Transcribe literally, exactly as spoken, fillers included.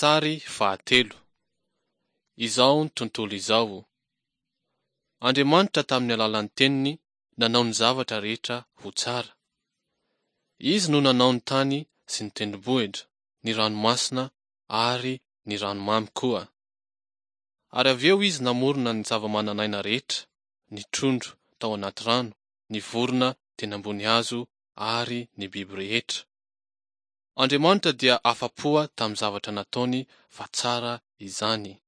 Sary fahatelo. Izao ny tontolo izao. Andriamanitra tamin'ny alalan'ny teniny nanao ny zavatra rehetra ho tsara. Izy no nanao ny tany sy ny tendrombohitra, ny ranomasina ary ny ranomamy koa. Ary avy eo izy namorona ny zava-manan'aina rehetra, ny trondro tao anaty rano, ny vorona teny ambony hazo ary ny biby rehetra. Andriamanitra dia afa-po tamin'ny zavatra nataony fa tsara izany.